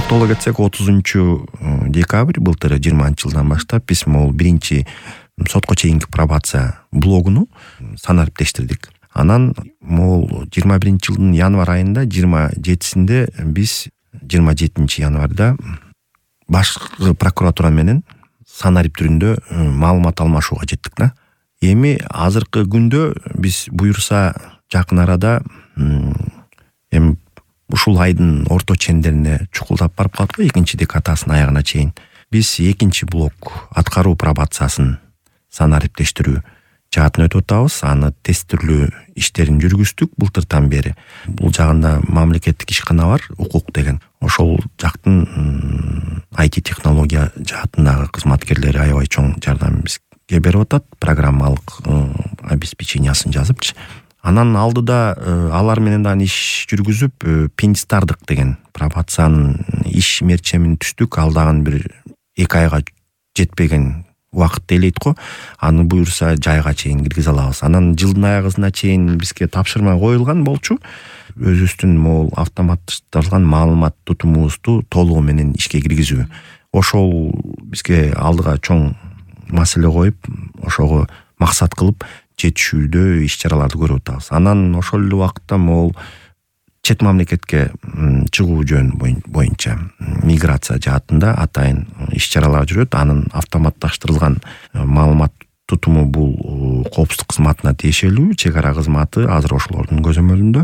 токтоло кетсек 30-декабрь былтыр 20-жылдан баштап биз могул биринчи сотко чейинки пробация блогуну санариптештирдик. Анан могул 21-жылдын январь айында 27-синде биз 27 январда башкы прокуратура менен санарип түрүндө маалымат алмашууга жеттик да. Эми азыркы күндө биз буюрса жакын арада эми ушул айдын орто чендерине чукулдап барып калат го, экинчи декадасынын аягына чейин. Биз экинчи блок аткаруу пробациясын санариптештирүү жаатын өтүп атабыз. Аны тестирлөө иштерин жүргүздүк былтыртан бери. Бул жагында мамлекеттик ишкана бар, укук деген. Ошол жактын IT технология жаатындагы кызматкерлери аябай чоң жардам бизге берип атат, программалык обеспечениясын жазыпчы. Анан алдыда алар менен дагы иш жүргүзүп, Пенстардык деген пробациянын иш мерчемин түздүк. Ал дагы бир 2 айга жетпеген убакыт делейт го. Аны буюрса жайга чейин киргизе алабыз. Анан жылдын аягына чейин бизге тапшырма коюлган болчу. Өзүбүздүн могул автоматташтырылган маалымат тутумубузду толугу менен ишке киргизүү. Ошол бизге алдыга чоң маселе коюп, ошого максат кылып жетишүүдө иш-чараларды көрүп атабыз. Анан ошол эле убакытта могул чет мамлекетке чыгуу жөн боюнча миграция жаатында атайын иш-чаралар жүрөт. Анын автоматташтырылган маалымат тутуму бул коопсуздук кызматына тиешелүү. Чек ара кызматы азыр ошолордун көзөмөлүндө.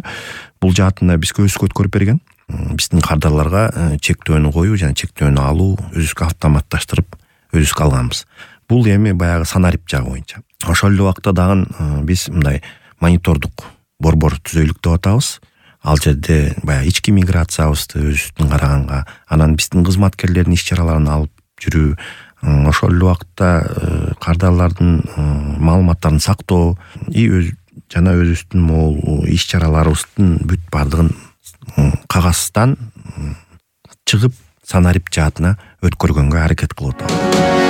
Бул жаатында бизге өз өткөрүп берген. Биздин кардарларга чектөөнү коюу жана чектөөнү алуу өзүбүзгө автоматташтырып өзүбүз алганбыз. Бул эми баягы санарип жагы боюнча. Ошол эле убакта дагы биз мындай монитордук борбор түзөйлүк деп атабыз. Ал жерде баягы ички миграциябызды өзүбүздүн караганга, анан биздин кызматкерлердин иш-чараларын алып жүрүү, ошол эле убакта кардарлардын маалыматтарын сактоо жана өзүбүздүн могул иш-чараларыбыздын бүт бардыгын кагаздан чыгып санарип жаатына өткөргөнгө аракет кылып атабыз.